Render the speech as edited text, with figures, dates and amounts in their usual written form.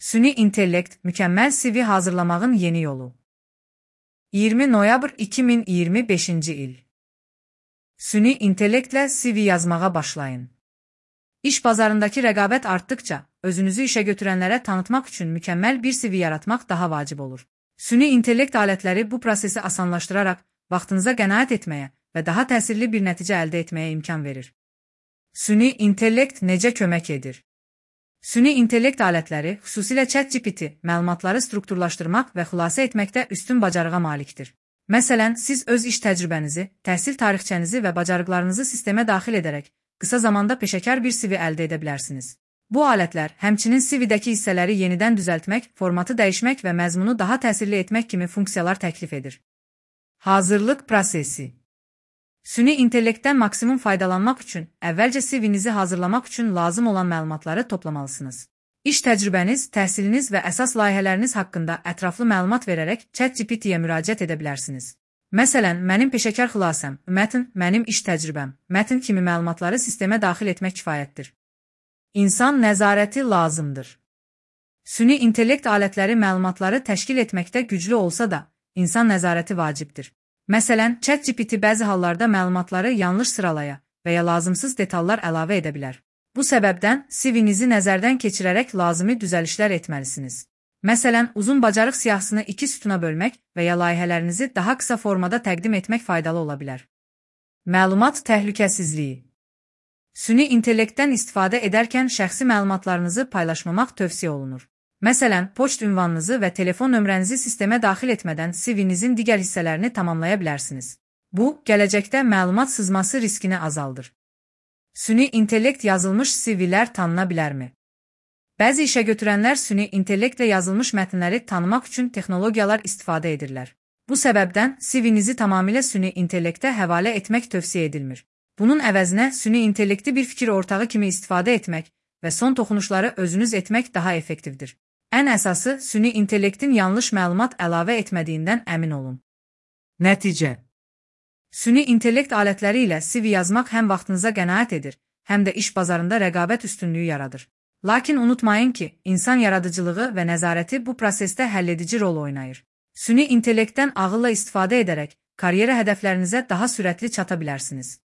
Süni intellekt, mükemmel CV hazırlamağın yeni yolu. 20 noyabr 2025 il. Süni intellektle CV yazmağa başlayın. İş bazarındaki rəqabət artdıkça, özünüzü işe götürənlərə tanıtmaq üçün mükemmel bir CV yaratmaq daha vacib olur. Süni intellekt alətləri bu prosesi asanlaştırarak, vaxtınıza qənaət etməyə və daha təsirli bir nəticə əldə etməyə imkan verir. Süni intellekt necə kömək edir? Süni intellekt alətləri, xüsusilə ChatGPT, məlumatları strukturlaşdırmaq və xülasə etməkdə üstün bacarığa malikdir. Məsələn, siz öz iş təcrübənizi, təhsil tarixçənizi və bacarıqlarınızı sistemə daxil edərək, qısa zamanda peşəkar bir CV əldə edə bilərsiniz. Bu alətlər, həmçinin CV-dəki hissələri yenidən düzəltmək, formatı dəyişmək və məzmunu daha təsirli etmək kimi funksiyalar təklif edir. Hazırlıq prosesi. Süni intellektdən maksimum faydalanmaq üçün, əvvəlcə CV-nizi hazırlamaq üçün lazım olan məlumatları toplamalısınız. İş təcrübəniz, təhsiliniz və əsas layihələriniz haqqında ətraflı məlumat verərək ChatGPT-yə müraciət edə bilərsiniz. Məsələn, mənim peşəkar xülasəm, mətn, mənim iş təcrübəm, mətn kimi məlumatları sistemə daxil etmək kifayətdir. İnsan nəzarəti lazımdır. Süni intellekt alətləri məlumatları təşkil etməkdə güclü olsa da, insan nəzarəti vacibdir. Məsələn, ChatGPT bəzi hallarda məlumatları yanlış sıralaya və ya lazımsız detallar əlavə edə bilər. Bu səbəbdən CV-nizi nəzərdən keçirərək lazımi düzəlişlər etməlisiniz. Məsələn, uzun bacarıq siyahısını 2 sütuna bölmək və ya layihələrinizi daha qısa formada təqdim etmək faydalı ola bilər. Məlumat təhlükəsizliyi. Süni intellektdən istifadə edərkən şəxsi məlumatlarınızı paylaşmamaq tövsiyə olunur. Məsələn, poçt ünvanınızı və telefon nömrənizi sistemə daxil etmədən CV-nizin digər hissələrini tamamlaya bilərsiniz. Bu, gələcəkdə məlumat sızması riskini azaldır. Süni intellekt yazılmış CV-lər tanına bilərmi? Bəzi işə götürənlər süni intellektlə yazılmış mətnləri tanımaq üçün texnologiyalar istifadə edirlər. Bu səbəbdən CV-nizi tamamilə süni intellektə həvalə etmək tövsiyə edilmir. Bunun əvəzinə süni intellekti bir fikir ortağı kimi istifadə etmək və son toxunuşları özünüz etmək daha effektivdir. Ən əsası, süni intellektin yanlış məlumat əlavə etmədiyindən əmin olun. Nəticə. Süni intellekt alətləri ilə CV yazmaq həm vaxtınıza qənaət edir, həm də iş bazarında rəqabət üstünlüyü yaradır. Lakin unutmayın ki, insan yaradıcılığı və nəzarəti bu prosesdə həlledici rol oynayır. Süni intellektdən ağılla istifadə edərək, karyera hədəflərinizə daha sürətli çata bilərsiniz.